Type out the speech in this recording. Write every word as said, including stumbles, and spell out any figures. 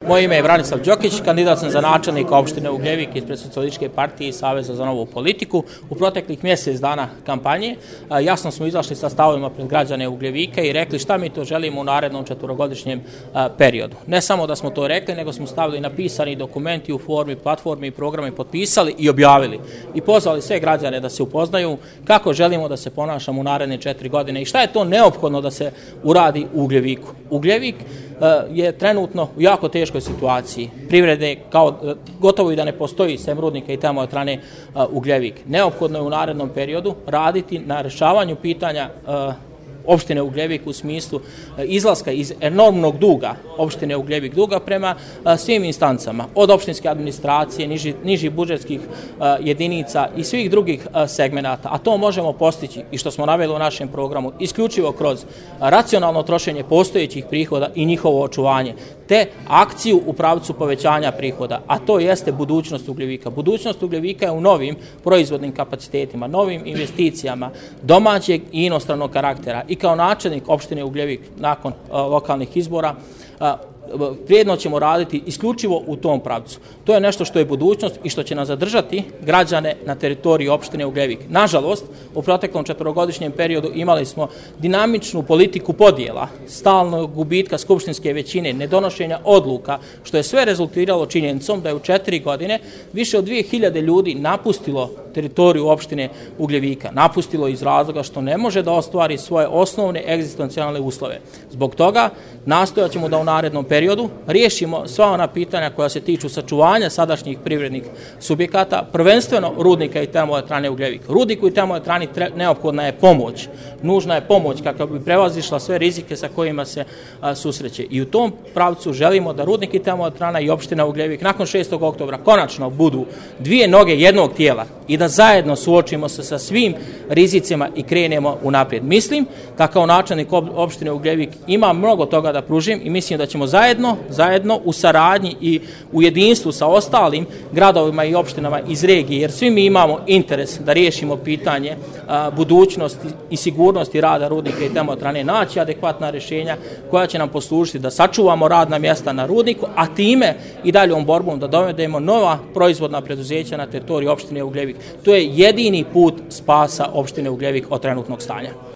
Moje ime je Branislav Đokić, kandidat sam za načelnika opštine Ugljevik ispred Socijalističke partije i Saveza za novu politiku. U proteklih mjesec dana kampanje jasno smo izašli sa stavovima pred građane Ugljevika i rekli šta mi to želimo u narednom četvorogodišnjem periodu. Ne samo da smo to rekli, nego smo stavili napisani dokumenti u formi platformi i programe, potpisali i objavili. I pozvali sve građane da se upoznaju kako želimo da se ponašamo u naredne četiri godine i šta je to neophodno da se uradi u Ugljeviku. Ugljevik je trenutno u jako teškoj situaciji. Privrede kao gotovo i da ne postoji, sem rudnika i termoelektrane Ugljevik. Neophodno je u narednom periodu raditi na rješavanju pitanja opštine Ugljevik u smislu izlaska iz enormnog duga opštine Ugljevik duga prema svim instancama, od opštinske administracije, niži, nižih budžetskih jedinica i svih drugih segmenata. A to možemo postići i što smo naveli u našem programu isključivo kroz racionalno trošenje postojećih prihoda i njihovo očuvanje, te akciju u pravcu povećanja prihoda, a to jeste budućnost Ugljevika. Budućnost Ugljevika je u novim proizvodnim kapacitetima, novim investicijama domaćeg i inostranog karaktera. I kao načelnik opštine Ugljevik nakon uh, lokalnih izbora uh, vrijedno ćemo raditi isključivo u tom pravcu. To je nešto što je budućnost i što će nas zadržati građane na teritoriji opštine Ugljevik. Nažalost, u proteklom četvorogodišnjem periodu imali smo dinamičnu politiku podjela, stalnog gubitka skupštinske većine, nedonošenja odluka, što je sve rezultiralo činjenicom da je u četiri godine više od dvije hiljade ljudi napustilo teritoriju opštine Ugljevika. Napustilo iz razloga što ne može da ostvari svoje osnovne egzistencijalne uslove. Zbog toga nastojat ćemo da u narednom periodu riješimo sva ona pitanja koja se tiču sačuvanja sadašnjih privrednih subjekata, prvenstveno rudnika i termoelektrane Ugljevik. Rudniku i termoelektrani neophodna je pomoć. Nužna je pomoć kako bi prevazišla sve rizike sa kojima se a, susreće. I u tom pravcu želimo da rudnik i termoelektrana i opština Ugljevik nakon šestog oktobra konačno budu dvije noge jednog tijela i da zajedno suočimo se sa svim rizicima i krenemo unaprijed. Mislim da kao načelnik opštine Ugljevik ima mnogo toga da pružim i mislim da ćemo zajedno, zajedno u saradnji i u jedinstvu sa ostalim gradovima i opštinama iz regije, jer svi mi imamo interes da riješimo pitanje a, budućnosti i sigurnosti rada rudnika i termoelektrane, naći adekvatna rješenja koja će nam poslužiti da sačuvamo radna mjesta na rudniku, a time i daljom borbom da dovedemo nova proizvodna preduzeća na teritoriji opštine Ugljevik. To je jedini put spasa opštine Ugljevik od trenutnog stanja.